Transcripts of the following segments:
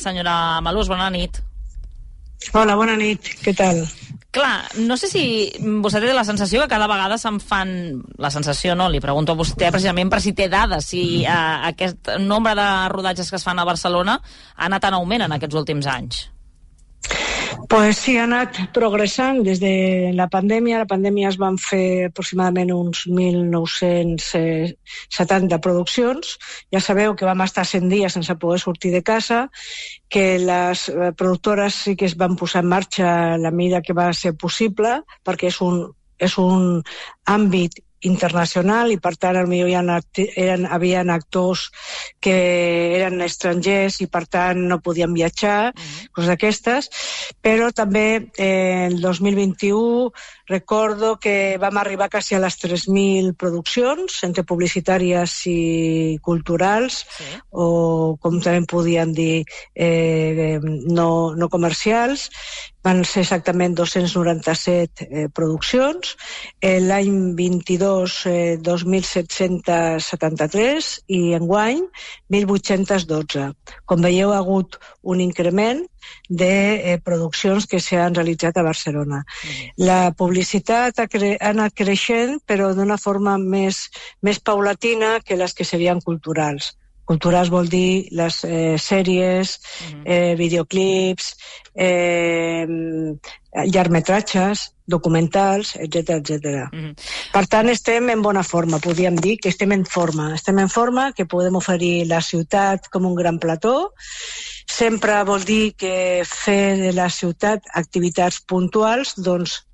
Senyora Malús, bona nit. Hola, bona nit. Què tal? Clar, no sé si vostè té la sensació que cada vegada se'n fan... La sensació no, li pregunto a vostè precisament per si té dades, si aquest nombre de rodatges que es fan a Barcelona ha anat en augment en aquests últims anys. Pues sí, ha anat progressant des de la pandèmia. La pandèmia es van fer aproximadament uns 1.970 produccions. Ja sabeu que vam estar 100 dies sense poder sortir de casa, que les productores sí que es van posar en marxa a la mida que va ser possible, perquè és un àmbit internacional i per tant potser havia actors que eren estrangers i per tant no podien viatjar, coses d'aquestes, però també el 2021 recordo que vam arribar quasi a les 3.000 produccions entre publicitàries i culturals, o com també podien dir no comercials. Van ser exactament 297 produccions. L'any 22, 2.773 i enguany 1.812. Com veieu, ha hagut un increment de produccions que s'han realitzat a Barcelona. La publicitat ha anat creixent, però d'una forma més paulatina que les que serien culturals. Culturals vol dir les sèries, videoclips, llargmetratges, documentals, etc. Per tant, estem en bona forma, podríem dir que estem en forma. Estem en forma, que podem oferir la ciutat com un gran plató. Sempre vol dir que fer de la ciutat activitats puntuals, doncs,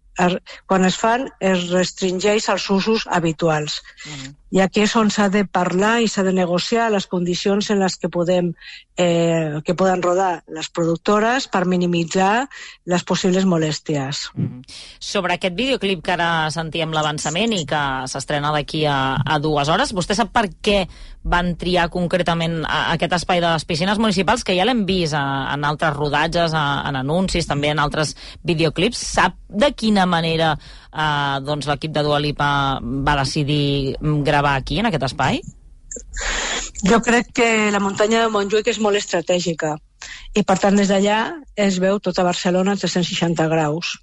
quan es fan, es restringeix als usos habituals. I aquí és on s'ha de parlar i s'ha de negociar les condicions en les que poden rodar les productores per minimitzar les possibles molèsties. Sobre aquest videoclip que ara sentíem l'avançament i que s'estrena d'aquí a 2 hores, vostè sap per què van triar concretament aquest espai de les piscines municipals, que ja l'hem vist en altres rodatges, en anuncis, també en altres videoclips? Sap de quina manera l'equip de Dua Lipa va decidir gravar aquí, en aquest espai? Jo crec que la muntanya de Montjuïc és molt estratègica i per tant des d'allà es veu tota Barcelona a 360 graus.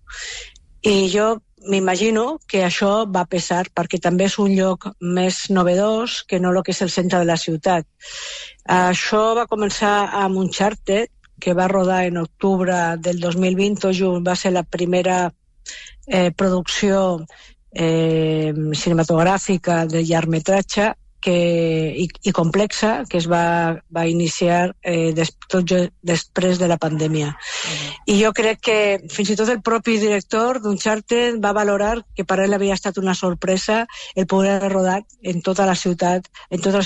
I jo m'imagino que això va pesar perquè també és un lloc més novedós que no el que és el centre de la ciutat. Això va començar amb Uncharted, que va rodar en octubre del 2020, va ser la primera producció cinematogràfica de llargmetratge i complexa que es va iniciar tot després de la pandèmia. I jo crec que fins i tot el propi director d'Uncharted va valorar que per ell havia estat una sorpresa el poder rodar en tota la ciutat, en tota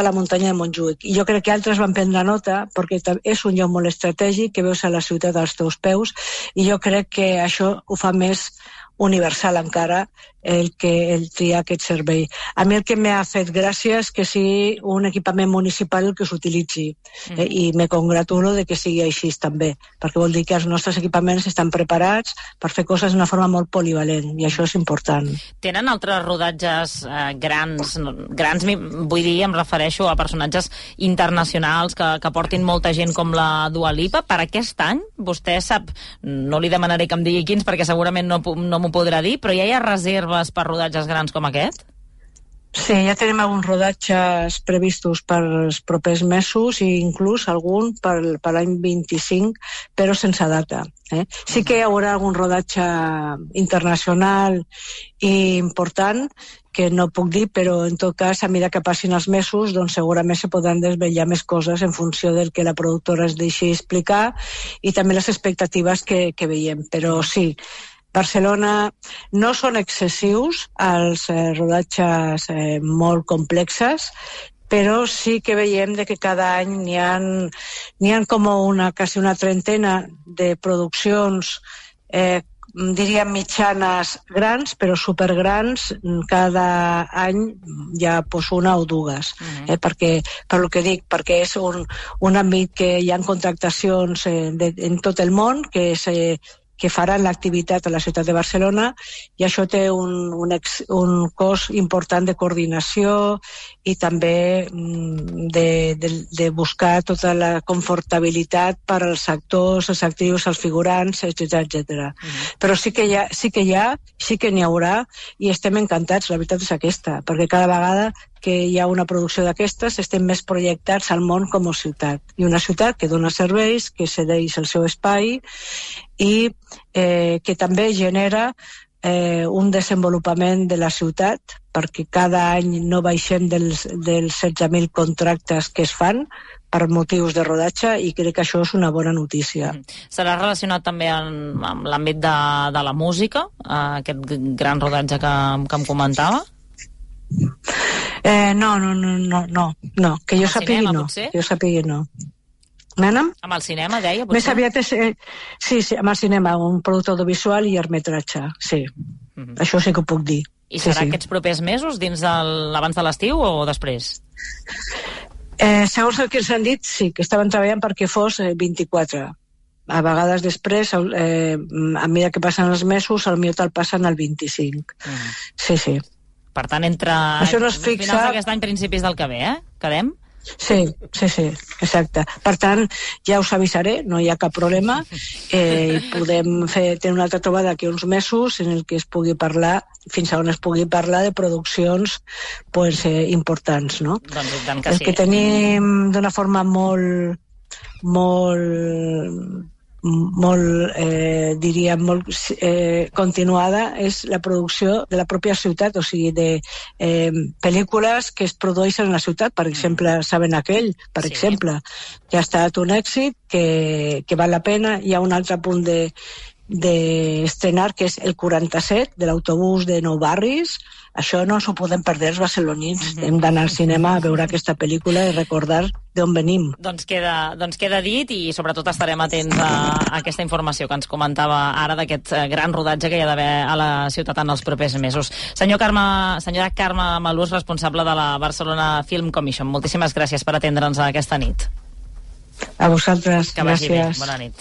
la muntanya de Montjuïc. I jo crec que altres van prendre nota perquè és un lloc molt estratègic que veus a la ciutat als teus peus i jo crec que això ho fa més universal encara el triar aquest servei. A mi el que m'ha fet gràcia és que sigui un equipament municipal el que s'utilitzi i me congratulo de que sigui així també, perquè vol dir que els nostres equipaments estan preparats per fer coses d'una forma molt polivalent i això és important. Tenen altres rodatges grans, vull dir, em refereixo a personatges internacionals que portin molta gent com la Dua Lipa. Per aquest any, vostè sap, no li demanaré que em digui quins perquè segurament no m'ho podrà dir, però ja hi ha reserves per rodatges grans com aquest? Sí, ja tenim alguns rodatges previstos per els propers mesos i inclús algun per l'any 25, però sense data. Sí que hi haurà algun rodatge internacional i important que no puc dir, però en tot cas, a mesura que passin els mesos, doncs segurament se podran desvetllar més coses en funció del que la productora es deixi explicar i també les expectatives que veiem. Però sí, Barcelona no són excessius els rodatges molt complexes, però sí que veiem que cada any n'hi ha com quasi una trentena de produccions diríem mitjanes grans, però supergrans, cada any hi ha una o dues. Per el que dic, perquè és un àmbit que hi ha contractacions en tot el món, que que faran l'activitat a la ciutat de Barcelona, i això té un cost important de coordinació i també de buscar tota la confortabilitat per als actors, els actius, els figurants, etc. Però sí que n'hi haurà, i estem encantats, la veritat és aquesta, perquè cada vegada que hi ha una producció d'aquestes estem més projectats al món com a ciutat, i una ciutat que dona serveis, que cedeix el seu espai i que també genera un desenvolupament de la ciutat, perquè cada any no baixem dels 16.000 contractes que es fan per motius de rodatge, i crec que això és una bona notícia. Serà relacionat també amb l'àmbit de la música, aquest gran rodatge que em comentava? No, que jo sàpigui no. Que jo sàpigui no. Mena'm? Amb el cinema, deia? Potser? Més aviat és... Sí, amb el cinema, un producte audiovisual i llargmetratge, sí. Això sí que ho puc dir. I serà aquests propers mesos, dins abans de l'estiu o després? Segons el que ens han dit, sí, que estaven treballant perquè fos 24. A vegades després, a mesura que passen els mesos, potser te'l passen al 25. Sí. Per tant, entre finals d'aquest any, principis del que ve, quedem? Sí, exacte. Per tant, ja us avisaré, no hi ha cap problema, i podem tenir una altra trobada d'aquí uns mesos en el que es pugui parlar, fins a on es pugui parlar de produccions importants, no? Doncs i tant que sí. El que tenim d'una forma diríem, molt continuada és la producció de la pròpia ciutat, o sigui, de pel·lícules que es produeixen a la ciutat. Per exemple, Saben aquell, per exemple, que ha estat un èxit, que val la pena. Hi ha un altre punt d'estrenar, que és el 47, de l'autobús de Nou Barris. Això no s'ho podem perdre els barcelonins. Hem d'anar al cinema a veure aquesta pel·lícula i recordar d'on venim. Doncs queda dit, i sobretot estarem atents a aquesta informació que ens comentava ara d'aquest gran rodatge que hi ha d'haver a la ciutat en els propers mesos. Senyora Carme Malús, responsable de la Barcelona Film Commission, moltíssimes gràcies per atendre'ns aquesta nit. A vosaltres, que vagi gràcies. Bé. Bona nit.